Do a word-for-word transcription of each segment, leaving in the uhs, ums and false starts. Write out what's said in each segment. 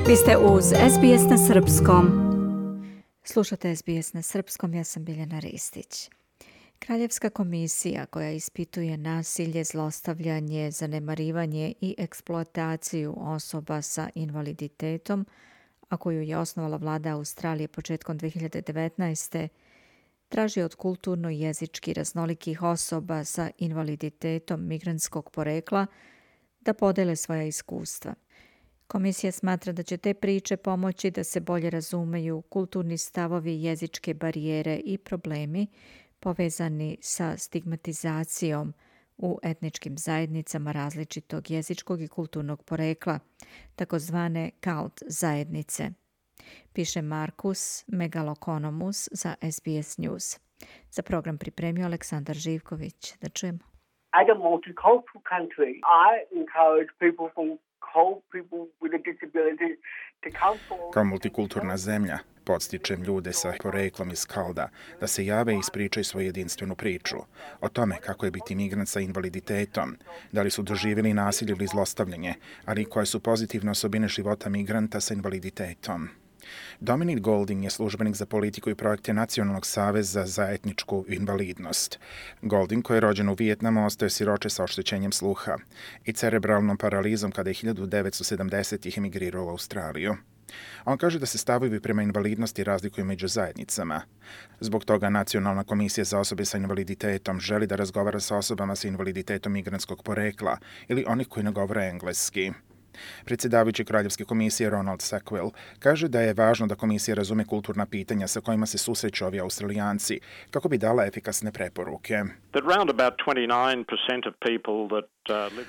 Vi ste uz S B S na srpskom. Slušate S B S na srpskom, ja sam Biljana Ristić. Kraljevska komisija koja ispituje nasilje, zlostavljanje, zanemarivanje i eksploataciju osoba sa invaliditetom, a koju je osnovala vlada Australije početkom dve hiljade devetnaeste. traži od kulturno i jezički raznolikih osoba sa invaliditetom migrantskog porekla da podele svoja iskustva. Komisija smatra da će te priče pomoći da se bolje razumeju kulturni stavovi, jezičke barijere i problemi povezani sa stigmatizacijom u etničkim zajednicama različitog jezičkog i kulturnog porekla, takozvane cult zajednice, piše Markus Megalokonomus za S B S News. Za program pripremio Aleksandar Živković. Da čujemo. As a multicultural country, I encourage people from whole people with a disability to come forward. Kao multikulturna zemlja, podstičem ljude sa poreklom iz Kalda da se jave i ispričaju svoju jedinstvenu priču o tome kako je biti migrant sa invaliditetom, da li su doživjeli nasilje ili zlostavljanje, ali i koje su pozitivne osobine života migranta sa invaliditetom. Dominic Golding je službenik za politiku i projekte Nacionalnog saveza za etničku invalidnost. Golding, koji je rođen u Vijetnamu, ostao je siroče sa oštećenjem sluha i cerebralnom paralizom kada je hiljadu devetsto sedamdesetih emigrirao u Australiju. On kaže da se stavovi prema invalidnosti razlikuju među zajednicama. Zbog toga Nacionalna komisija za osobe sa invaliditetom želi da razgovara sa osobama sa invaliditetom migrantskog porekla ili onih koji ne govore engleski. Predsjedavajući Kraljevske komisije Ronald Sackville kaže da je važno da komisija razume kulturna pitanja sa kojima se susreću ovi Australijanci kako bi dala efikasne preporuke.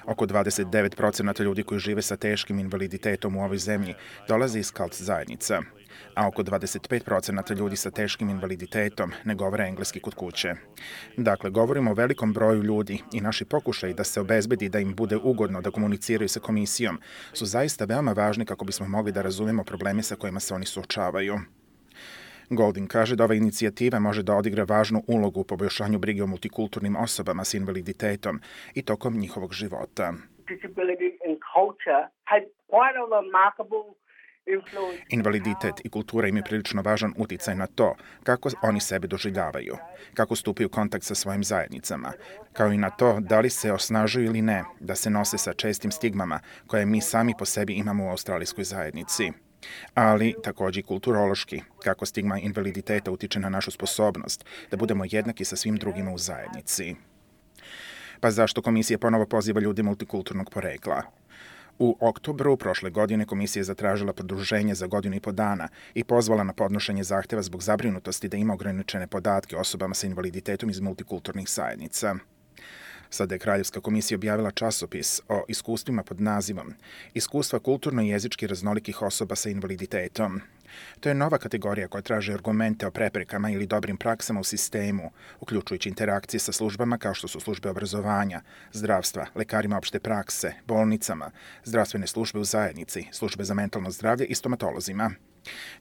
Oko dvadeset devet posto ljudi koji žive sa teškim invaliditetom u ovoj zemlji dolaze iz cult zajednica, a oko dvadeset pet posto ljudi sa teškim invaliditetom ne govore engleski kod kuće. Dakle, govorimo o velikom broju ljudi i naši pokušaji da se obezbedi da im bude ugodno da komuniciraju sa komisijom su zaista veoma važni kako bismo mogli da razumemo probleme sa kojima se oni suočavaju. Golding kaže da ova inicijativa može da odigra važnu ulogu u poboljšanju brige o multikulturnim osobama s invaliditetom i tokom njihovog života. Invaliditet i kultura imaju prilično važan uticaj na to kako oni sebe doživljavaju, kako stupaju u kontakt sa svojim zajednicama, kao i na to da li se osnažuju ili ne, da se nose sa čestim stigmama koje mi sami po sebi imamo u australijskoj zajednici. Ali također i kulturološki, kako stigma invaliditeta utiče na našu sposobnost da budemo jednaki sa svim drugima u zajednici. Pa zašto komisija ponovo poziva ljude multikulturnog porekla? U oktobru prošle godine komisija je zatražila produženje za godinu i po dana i pozvala na podnošenje zahtjeva zbog zabrinutosti da ima ograničene podatke o osobama sa invaliditetom iz multikulturnih zajednica. Sada je Kraljevska komisija objavila časopis o iskustvima pod nazivom Iskustva kulturno i jezički raznolikih osoba sa invaliditetom. To je nova kategorija koja traži argumente o preprekama ili dobrim praksama u sistemu, uključujući interakcije sa službama kao što su službe obrazovanja, zdravstva, lekarima opšte prakse, bolnicama, zdravstvene službe u zajednici, službe za mentalno zdravlje i stomatolozima.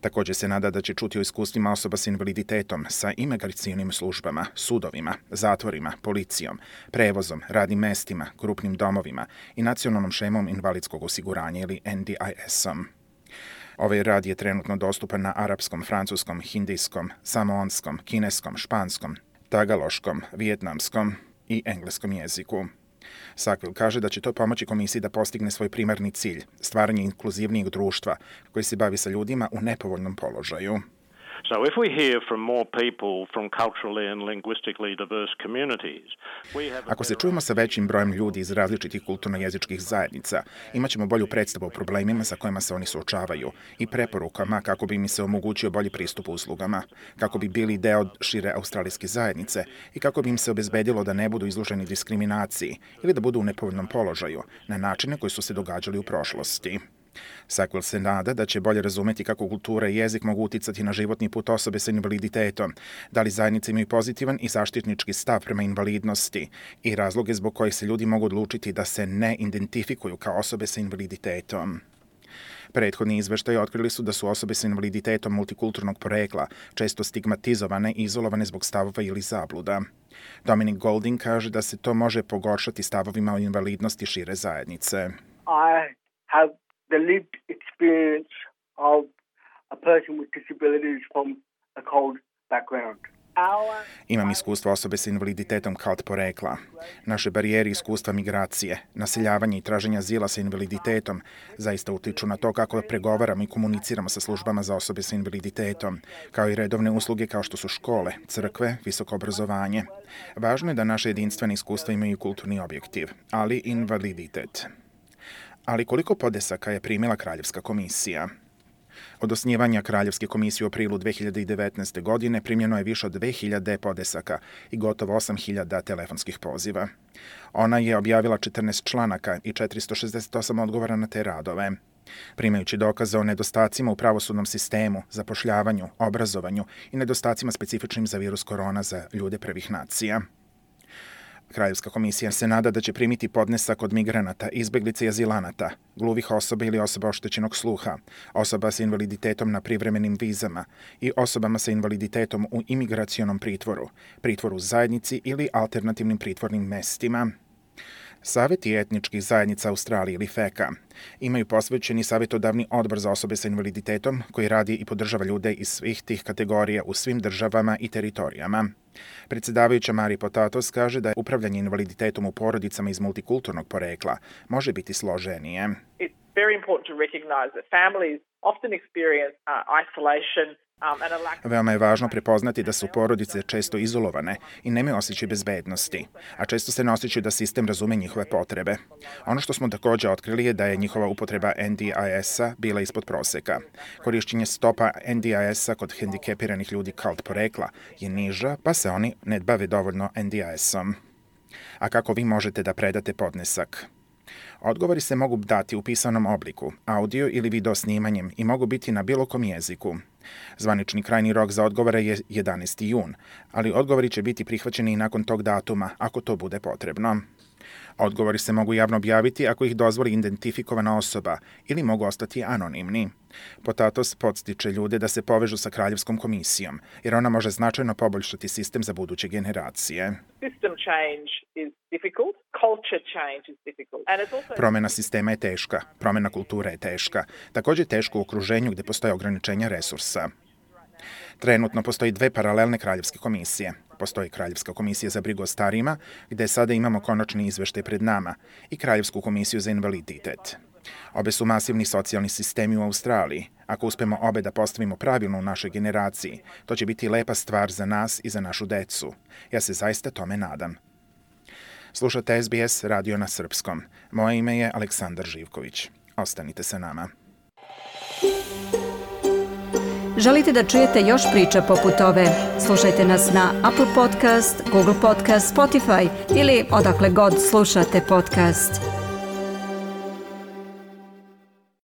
Također se nada da će čuti o iskustvima osoba s invaliditetom sa imigracionim službama, sudovima, zatvorima, policijom, prevozom, radnim mestima, grupnim domovima i nacionalnom šemom invalidskog osiguranja ili N D I S-om. Ovaj rad je trenutno dostupan na arapskom, francuskom, hindijskom, samoonskom, kineskom, španskom, tagaloškom, vijetnamskom i engleskom jeziku. Sackville kaže da će to pomoći komisiji da postigne svoj primarni cilj, stvaranje inkluzivnijeg društva koji se bavi sa ljudima u nepovoljnom položaju. So if we hear from more people from culturally and linguistically diverse communities, we have Ako se čujemo sa većim brojem ljudi iz različitih kulturno-jezičkih zajednica, imaćemo bolju predstavu o problemima sa kojima se oni suočavaju i preporukama kako bi im se omogućio bolji pristup uslugama, kako bi bili deo šire australijske zajednice i kako bi im se obezbedilo da ne budu izloženi diskriminaciji ili da budu u nepovoljnom položaju na načine koji su se događali u prošlosti. Sackville se nada da će bolje razumeti kako kultura i jezik mogu uticati na životni put osobe sa invaliditetom, da li zajednice imaju pozitivan i zaštitnički stav prema invalidnosti i razloge zbog kojih se ljudi mogu odlučiti da se ne identifikuju kao osobe sa invaliditetom. Prethodni izveštaji otkrili su da su osobe sa invaliditetom multikulturnog porekla često stigmatizovane i izolovane zbog stavova ili zabluda. Dominic Golding kaže da se to može pogoršati stavovima o invalidnosti šire zajednice. I have the lived experience disabilities from a cold background. Imam iskustvo osobe sa invaliditetom kao od porekla. Naše barijere iskustva migracije, naseljavanje i traženja azila sa invaliditetom zaista utiču na to kako pregovaramo i komuniciramo sa službama za osobe sa invaliditetom, kao i redovne usluge kao što su škole, crkve, visoko obrazovanje. Važno je da naše jedinstvene iskustva imaju kulturni objektiv, ali i invaliditet. Ali koliko podnesaka je primila Kraljevska komisija? Od osnivanja Kraljevske komisije u aprilu dve hiljade devetnaeste. godine primljeno je više od dve hiljade podnesaka i gotovo osam hiljada telefonskih poziva. Ona je objavila četrnaest članaka i četiristo šezdeset osam odgovora na te radove. Primajući dokaze o nedostacima u pravosudnom sistemu, zapošljavanju, obrazovanju i nedostacima specifičnim za virus korona za ljude prvih nacija. Kraljevska komisija se nada da će primiti podnesak od migranata, izbeglica i azilanata, gluvih osoba ili osoba oštećenog sluha, osoba sa invaliditetom na privremenim vizama i osobama sa invaliditetom u imigracionom pritvoru, pritvoru zajednici ili alternativnim pritvornim mestima. Saveti etničkih zajednica Australije ili feka imaju posvećeni savjetodavni odbor za osobe sa invaliditetom koji radi i podržava ljude iz svih tih kategorija u svim državama i teritorijama. Predsjedavajuća Mari Potatos kaže da je upravljanje invaliditetom u porodicama iz multikulturnog porekla može biti složenije. It's very important to recognize that families often experience uh, isolation. Veoma je važno prepoznati da su porodice često izolovane i nemaju osjećaj bezbednosti, a često se ne osjećaju da sistem razume njihove potrebe. Ono što smo također otkrili je da je njihova upotreba N D I S-a bila ispod proseka. Korišćenje stopa N D I S-a kod hendikepiranih ljudi kao od porekla je niža, pa se oni ne bave dovoljno N D I S-om. A kako vi možete da predate podnesak? Odgovori se mogu dati u pisanom obliku, audio ili video snimanjem i mogu biti na bilo kom jeziku. Zvanični krajni rok za odgovore je jedanaesti jun, ali odgovori će biti prihvaćeni i nakon tog datuma, ako to bude potrebno. Odgovori se mogu javno objaviti ako ih dozvoli identifikovana osoba ili mogu ostati anonimni. Potatos podstiče ljude da se povežu sa Kraljevskom komisijom, jer ona može značajno poboljšati sistem za buduće generacije. Promjena sistema je teška, promjena kulture je teška, također teško u okruženju gdje postoje ograničenja resursa. Trenutno postoji dve paralelne kraljevske komisije. Postoji Kraljevska komisija za brigu o starijima, gdje sada imamo konačni izveštaj pred nama, i Kraljevsku komisiju za invaliditet. Obe su masivni socijalni sistemi u Australiji. Ako uspemo obe da postavimo pravilno u našoj generaciji, to će biti lepa stvar za nas i za našu decu. Ja se zaista tome nadam. Slušate S B S radio na srpskom. Moje ime je Aleksandar Živković. Ostanite sa nama. Želite da čujete još priča poput ove? Slušajte nas na Apple Podcast, Google Podcast, Spotify ili odakle god slušate podcast.